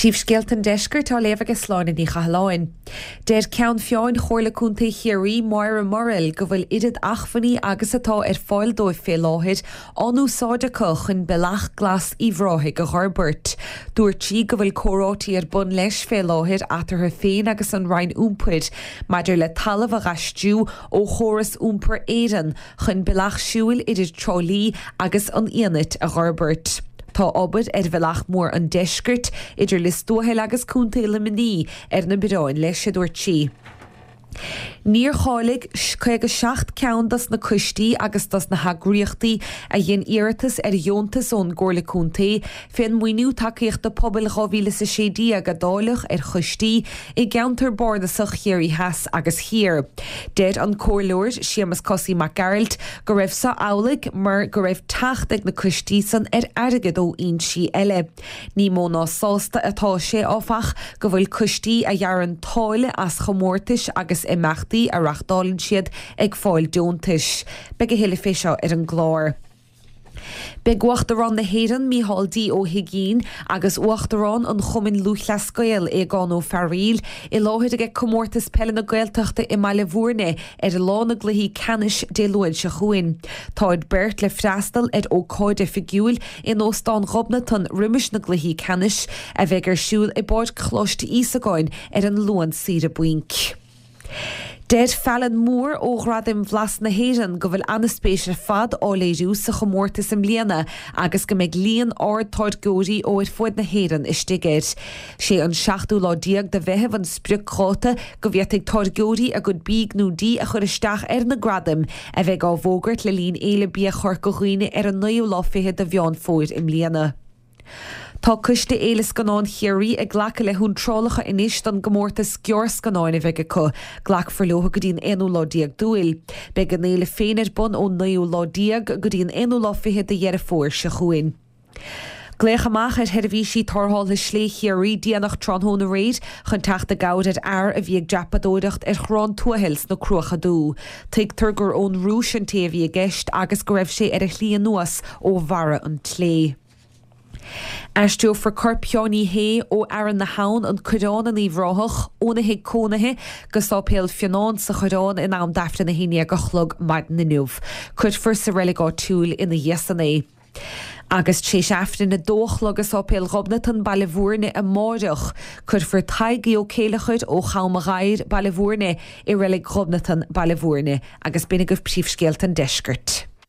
Príomhscéalta an Deiscirt á léamh ag Sláine Ní Chathalláin. Deir Ceann Feadhain Chomhairle Contae Chiarraí, Máire Murrell, go bhfuil oiread achmhainní agus atá ar fáil dóibh fé láthair á n-úsáid acu chun Bealach Glas Uíbh Ráthaigh a dh'fhorbairt. Dúirt sí go bhfuil comhráití ar bun leis fé láthair eatarthu féin agus an Roinn Iompair maidir le talamh a dh'aistriú ó Chóras Iompair Éireann chun bealach siúil idir Trá Lí agus an Fhianait a dh'fhorbairt. Tá obair ar Bhealach Mór an Deiscirt idir Lios Tuathail agus Contae Luimnigh ar na bioráin leis, a dúirt sí. Níor cháiligh 57 ceann dos na coistí agus dos na heagraíochtaí a dhein iarratas ar dheontas ón gComhairle Contae fén Maoiniú Tacaíochta Pobail 2016 a dáileadh ar choistí i gceantar bardasach Chiarraí Theas agus Thiar. Deir an Comhairleoir Séamus Cosaí Mac Gearailt go raibh so amhlaidh mar go raibh teacht ag na coistí san ar airgead ó fhoinsí eile. Ní mó ná sásta atá sé, áfach, go bhfuil coistí a ghearrann táille as chomórtais agus imeachtaí a reachtálann siad ag fáil deontais. Beidh a thuilleadh fé seo ar an gclár. Beidh Uachtarán na hÉireann, Micheál D. Ó hUigínn, agus Uachtarán an Chumainn Lúthchleas Gael, Aogán Ó Fearghaíl, i láthair aige Comórtas Peile na Gaeltachta i mBaile Bhúirne ar lá na gcluichí ceannais Dé Luain seo chugainn. Táid beirt le freastal ar ócáid oifigiúil in Óstán Ghobnatan roimis na gcluichí ceannais, a bheidh ar siúl i bPáirc Choláiste Íosagáin ar an Luan saoire bainc. Deir Fallon Moore ó Ghradaim Bhlas na hÉireann go bhfuil an-spéis ar fad á léiriú sa chomórtas i mbliana agus go mbeidh líon ard táirgeoirí ó ar fuaid na hÉireann istigh air. Sé an seachtú lá déag de Mheitheamh an spriocdháta go bhféadfaidh táirgeoirí a gcuid bídh nó dí a chur isteach ar na gradaim a bheidh á bhfógairt le linn Fhéile Bia Chorca Dhuibhne ar an naoú lá fichead de Mheán Fómhair i mbliana. Tá Coiste Fhéile Scannán Chiarraí ag glacadh le hiontrálacha anois don gcomórtas gearrscannáin a bheidh acu. Glacfar leo go dtí an aonú lá déag d'Iúil. Beidh an fhéile féin ar bun ón naoú lá déag go dtí an aonú lá fichead de Dheireadh Fómhair seo chugainn. Glaodh amach ar sheirbhísí tarrthála Slé Chiarraí déanach tráthnóna aréir chun teacht i gcabhair ar fhear a bhí ag dreapadóireacht ar Chorrán Tuathail sna Cruacha Dubha. Tuigtear gur ón Rúis an té a bhí i gceist agus go raibh sé ar a shlí anuas ó bharra an tslé. Aistreofar corp Sheáin Uí Shé ó Fhearann na hAbhann, An Coireán in Uíbh Ráthach, óna thigh cónaithe go Sáipéal Fionáin sa Choireán in am d'Aifreann 11 a chlog maidin inniu. Cuirfear sa reilig áitiúil ina dhiaidh san é. Agus tar éis Aifrinn 2 a chlog i Sáipéal Ghobnatan, Baile Bhúirne amáireach, cuirfear Tadhg Ó Céileachair ó Cham a' Ghadhair, Baile Bhúirne, i Reilig Ghobnatan, Baile Bhúirne, agus b'in agaibh príomhscéalta an deiscirt.